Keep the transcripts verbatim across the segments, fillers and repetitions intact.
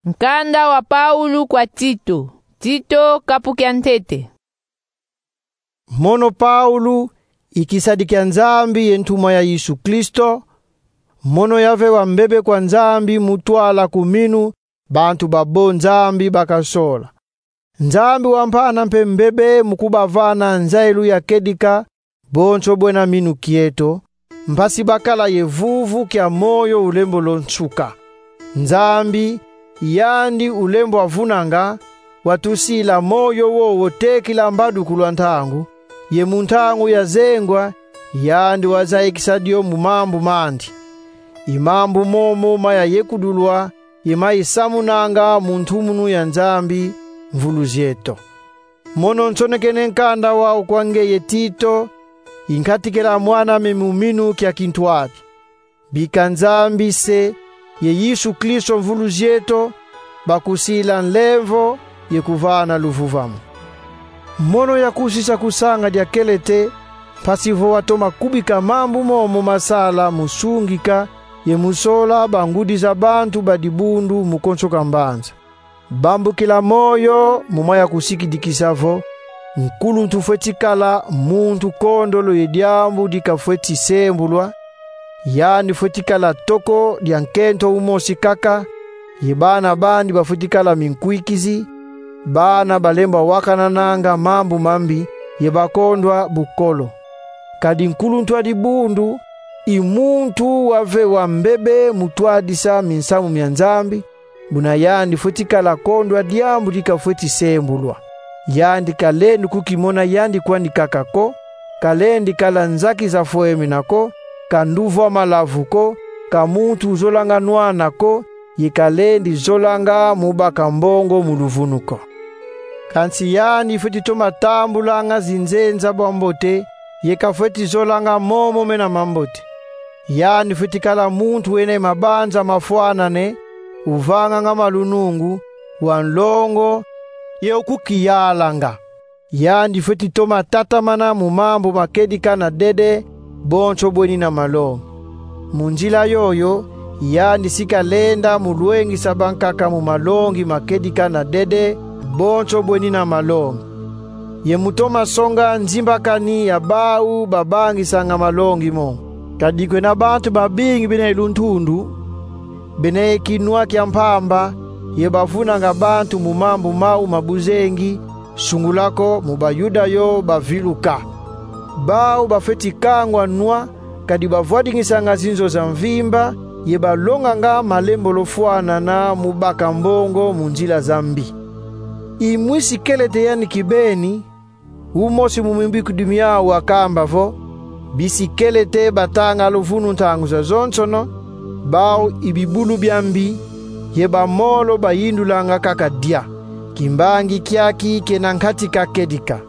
Nkanda wa Paulu kwa Tito. Tito, kapu kia ntete. Mono Paulu, i kisadi kia Nzambi ye ntumwa ya Yesu Kristo, mono yavewa mbebe kwa Nzambi mu twala ku minu bantu babo Nzambi bakasola. Nzambi wampana mpe mbebe mu kubavana nzailu ya kedika bonso bwena minu kieto, mpasi bakala ye vuvu kia moyo ulembolo nsuka. Nzambi, yandi ulembwa vunanga, watusila moyo wowo tekila mbadukulu a ntangu, ye mu ntangu ya zengwa, yandi wazayikisa dio mu mambu mandi. I mambu momo maya yekudulwa, ye mayisamunanga mu ntumunu ya Nzambi, mvulu zieto. Mono nsonekene nkanda wau kwa ngeye Tito, i nkatikila mwan'ame mu minu kia kintwadi. Bika Nzambi Se ye Yesu Kristo Mvuluzi eto bakusila nlemvo ye kuvana luvuvamu. Mono yakusisa kusanga dia Kelete, mpasi vo watoma kubika mambu momo masala mu sungika ye mu sola bangudi za bantu ba dibundu mu konso ka mbanza. Bambukila moyo mu maya kusikidikisa vo, nkuluntu fweti kala muntu kondolo ye diambu dikafweti sembulwa, yandi fweti kala toko dia nkento umosi kaka, ye bana bandi bafweti kala minkwikizi, bana balembwa wakanananga mambu mambi, ye bakondwa bukolo. Kadi nkuluntu a dibundu i muntu wavewa mbebe mu twadisa minsamu mia Nzambi, buna yandi fweti kala kondwa diambu dikafweti sembulwa. Yandi kalendi kukimona yandi kwandi kaka ko, kalendi kala nzaki za fwemena ko, ka nduvu a malavu ko, ka muntu uzolanga nwana ko, ye kalendi zolanga mu baka mbongo mu luvunu ko. Kansi yandi fweti toma tambulanga zinzenza bwa mbote, ye kafweti zolanga momo mena mambote. Yandi fweti kala muntu wena ye mabanza mafwanane, uvanganga malunungu, wa nlongo, ye ukukiyalanga. Yandi fweti toma tatamana mu mambu ma kedika na dede, bonso bwenina malongi. Mu nzila yoyo, yandi si kalenda mu lwengisa bankaka mu malongi ma kedika na dede, bonso bwenina malongi. Ye mu toma songa nzimbakani ya bau babangisanga malongi mo. Kadi kwena bantu babingi bena ye luntundu, bena ye kinwa kia mpamba, ye bavunanga bantu mu mambu mau ma buzengi, sungula ko mu Bayuda yo baviluka. Bau bafweti kangwa nwa, kadi bavwadingisanga zinzo za mvimba, ye balonganga malembolo fwanana mu baka mbongo mu nzila za mbi. I mwisi Kelete yandi kibeni, umosi mu mimbikudi miau akamba vo: Bisi Kelete batanga luvunu ntangu zazonsono, bau i bibulu bia mbi, ye bamolo bayindulanga kaka dia. Kimbangi kiaki kena nkatika kedika.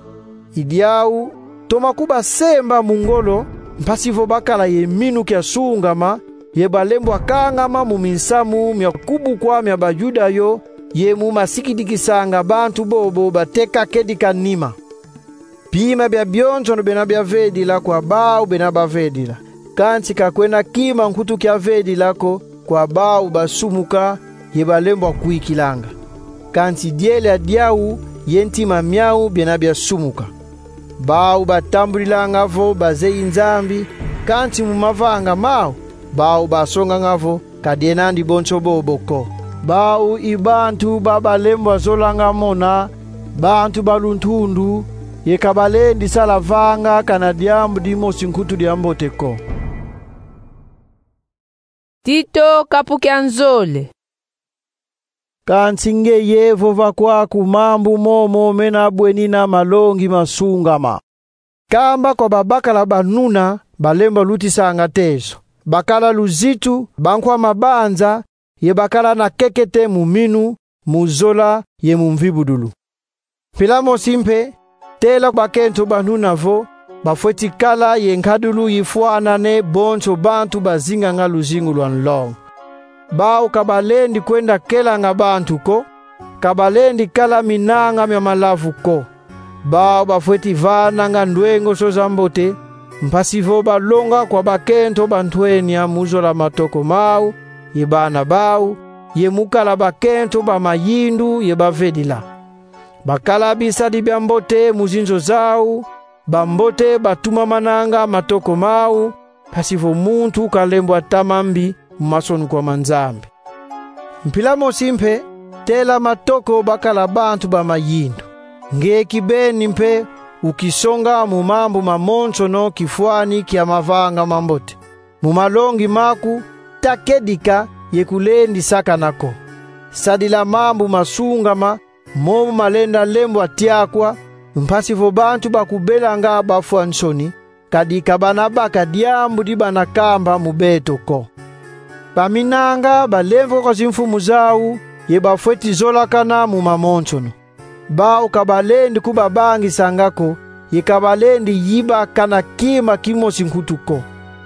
I diau, toma kubasemba mu ngolo, mpasi vo bakala ye minu kia sungama, ye balembwa kangama mu minsamu mia kubukwa mia Bayuda yo, ye mu masikidikisanga bantu bobo bateka kedika nima. Bima bia bionsono bena biavedila kwa bau bena bavedila, kansi ka kwena kima nkutu kiavedila ko kwa bau basumuka ye balembwa kwikilanga. Kansi diela diau ye ntima miau biena biasumuka. Bau batambudilanga vo bazeyi Nzambi, kansi mu mavanga mau, bau basonganga vo ka dienandi bonso bobo ko. Bau i bantu ba balembwa zolanga mona, bantu ba luntundu, ye ka balendi sala vanga kana diambu dimosi nkutu dia mbote ko. Tito, kapu kia nzole. Kansi ngeye vova kwaku mambu momo mena bwenina malongi ma sungama. Kamba kwa babakala banuna, balembwa lutisanga tezo. Bakala luzitu, bankwa mabanza, ye bakala na kekete mu minu, mu zola, ye mu mvibudulu. Mpila mosi mpe, tela bakento banuna vo bafweti kala ye nkadulu yifwanane bonso bantu bazinganga luzingu lwa nlongo. Bau ka balendi kwenda kelanga bantu ko, ka balendi kala minanga mia malavu ko. Bau bafweti vananga ndwengoso za mbote, mpasi vo balonga kwa bakento bantwenia mu zola matoko mau, ye bana bau, ye mu kala bakento ba mayindu ye bavedila. Bakala bisadi bia mbote mu zinzo zau, bambote batumamananga matoko mau, mpasi vo muntu kalembwa tama mbi mu masonukwa ma Nzambi. Mpila mosi mpe, tela matoko bakala bantu ba mayindu. Nge kibeni mpe ukisonga mu mambu mamonsono kifwani kia mavanga mambote. Mu malongi maku, ta kedika ye kulendi sakana ko. Sadila mambu masungama, momo malenda lembwa tiakwa, mpasi vo bantu bakubelanga bafwa nsoni, kadi ka bana baka diambu di bana kamba mu beto ko. Baminanga balemvoka kwa zimfumu zau, ye bafweti zolakana mu mamonsono. Bau ka balendi kubabangisanga ko, ye ka balendi yibakana kima kimosi nkutu ko.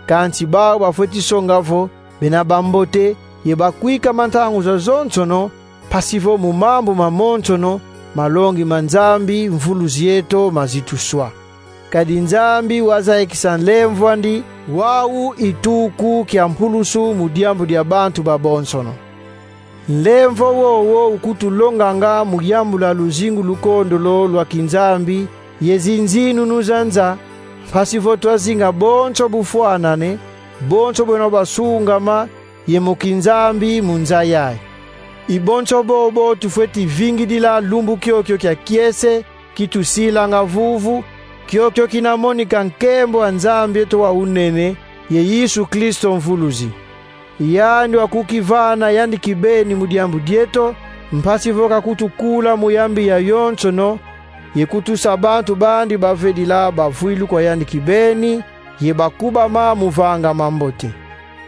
Kansi bau bafweti songa vo bena bambote ye bakwikama ntangu zazonsono, mpasi vo mu mambu mamonsono, malongi ma Nzambi Mvuluzi eto mazituswa. Kadi Nzambi wazayikisa nlemvw'andi, wau i tuku kia mpulusu mu diambu dia bantu babonsono. Nlemvo wowo ukutulonganga mu yambula luzingu lukondolo lwa kinzambi ye zinzinunu za nza, mpasi vo twazinga bonso bufwanane, bonso bwena bwasungama ye mu kinzambi mu nza yayi. I bonso bobo tufweti vingidila lumbu kiokio kia kiese, kitusilanga vuvu, kiokio kina monika nkembo a Nzambi eto wa unene, ye Yesu Kristo Mvuluzi. Yandi wakukivana yandi kibeni mu diambu dieto, mpasi vo kakutukula mu yambi yayonsono, ye kutusa bantu bandi bavedila bavwilu kwa yandi kibeni, ye bakubama mu vanga mambote.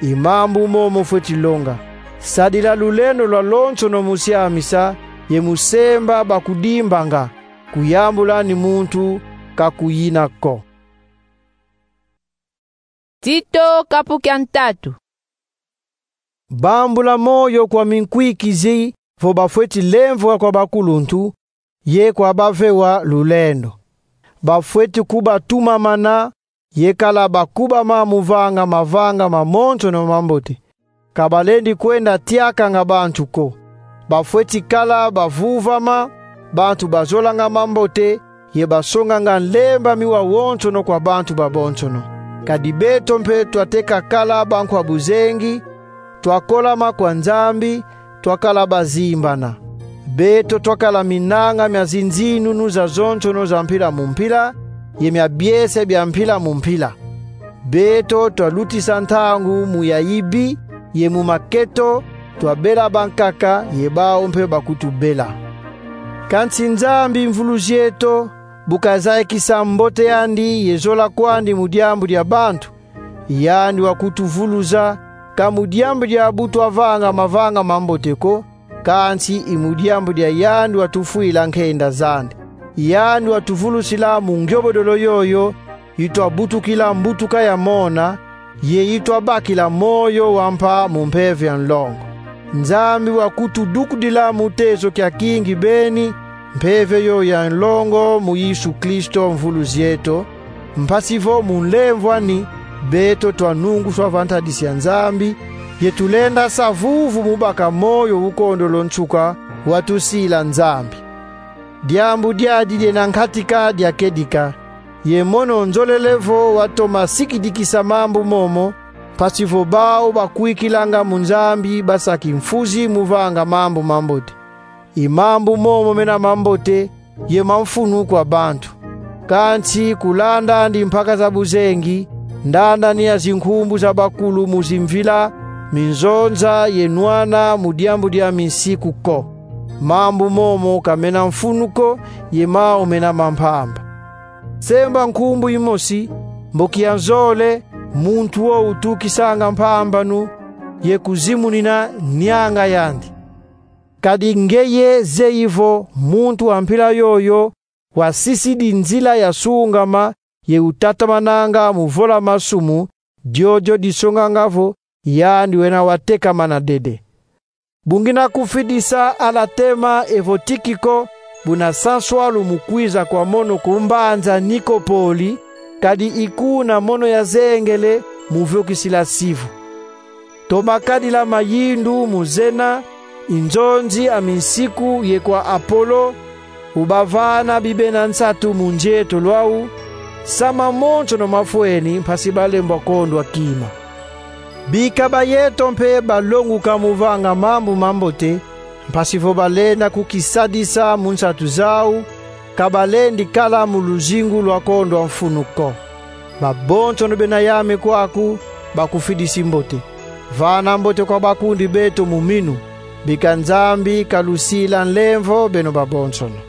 I mambu momo fweti longa. Sadila lulendo lwalonsono mu siamisa, ye mu semba bakudimbanga, kuyambula ni muntu kakuyina ko. Tito, kapu kia ntatu. Bambula moyo kwa minkwikizi vo bafweti lemvoka kwa bakuluntu, ye kwa bavewa lulendo. Bafweti kubatumamana, ye kala bakubama mu vanga mavanga mamonsono mambote. Ka balendi kwenda tiakanga bantu ko. Bafweti kala bavuvama, bantu bazolanga mambote, ye basonganga nlemba miwa wonsono kwa bantu babonsono. Kadi beto mpe twateka kala bankwa buzengi, twakolama kwa Nzambi, twakala bazimbana. Beto twakala minanga mia zinzinunu zazonsono za mpila mu mpila, ye mia biese bia mpila mu mpila. Beto twalutisa ntangu mu ya ibi, ye mu maketo, twabela bankaka, ye bau mpe bakutubela. Kansi Nzambi Mvuluzi eto, bu kazayikisa mbote andi ye zola kwandi mu diambu dia bantu, yandi wakutuvuluza, ka mu diambu dia bu twavanga mavanga mambote ko, kansi i mu diambu dia yandi watufwila nkenda zandi. Yandi watuvulusila mu ngiobodolo yoyo, yi twabutukila mbutuka ya mona, ye yi twabakila moyo wa mpa mu mpeve ya nlongo. Nzambi wakutudukudila mu teso kia kingi beni, mpeve yoyo ya nlongo mu Yesu Kristo Mvuluzi eto, mpasi vo mu nlemvw'ani, beto twanunguswa va ntadisi ya Nzambi, ye tulenda sa vuvu mu baka moyo ukondolo nsuka watusila Nzambi. Diambu diadi diena nkatika dia kedika, ye mono nzolele vo watoma sikidikisa mambu momo, mpasi vo bau bakwikilanga mu Nzambi basa kimfuzi mu vanga mambu mambote. I mambu momo mena mambote, ye mamfunu kwa bantu. Kansi kuland'andi mpaka za buzengi, ndand'ani ya zinkumbu za bakulu mu zimvila, minzonza ye nwana mu diambu dia minsiku ko. Mambu momo ka mena mfunu ko, ye mau mena mampamba. Semba nkumbu imosi, mboki ya nzole, muntu wo utukisanga mpambanu, ye kuzimunina nianga yandi. Kadi ngeye zeyi vo muntu wa mpila yoyo wasisidi nzila ya sungama, ye utatamananga mu vola masumu, diodio disonganga vo yandi wena watekamana dede. Bu ngina kufidisa Alatema evo Tikiko, buna sanswalu mu kwiza kwa mono ku mbanza Nikopoli, kadi i kuna mono yazengele mu viokisila sivu. Toma kadila mayindu mu zena, i nzonzi a minsiku ye kwa Apolo, ubavana bibena nsatu mu nzieto lwau, sa mamonsono mafweni mpasi balembwa kondwa kima. Bika ba yeto mpe balonguka mu vanga mambu mambote, mpasi vo balenda kukisadisa mu nsatu zau, ka balendi kala mu luzingu lwa kondwa mfunu ko. Babonsono bena yame kwaku bakufidisi mbote. Vana mbote kwa bakundi beto mu minu, bika Nzambi kalusila nlemvo beno babonsono.